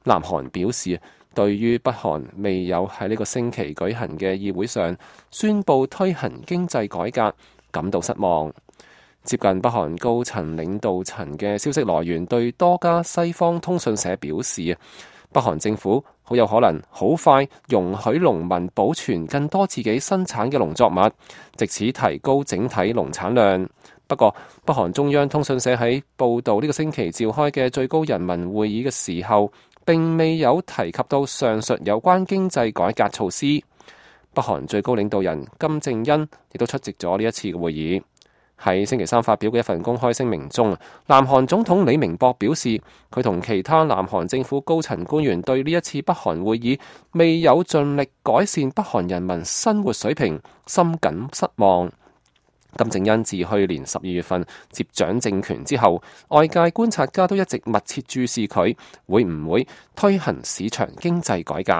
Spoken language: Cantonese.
南韓表示，對於北韓未有喺呢個星期舉行嘅議會上宣布推行經濟改革感到失望。接近北韓高層領導層嘅消息來源對多家西方通訊社表示，北韓政府好有可能好快容許農民保存更多自己生產嘅農作物，藉此提高整體農產量。不過，北韓中央通訊社喺報導呢個星期召開嘅最高人民會議嘅時候，並未有提及到上述有關經濟改革措施。北韓最高領導人金正恩亦都出席咗呢一次嘅會議。喺星期三發表嘅一份公開聲明中，南韓總統李明博表示，佢同其他南韓政府高層官員對呢一次北韓會議未有盡力改善北韓人民生活水平深感失望。金正恩自去年12月份接掌政權之後，外界觀察家都一直密切注視佢會唔會推行市場經濟改革。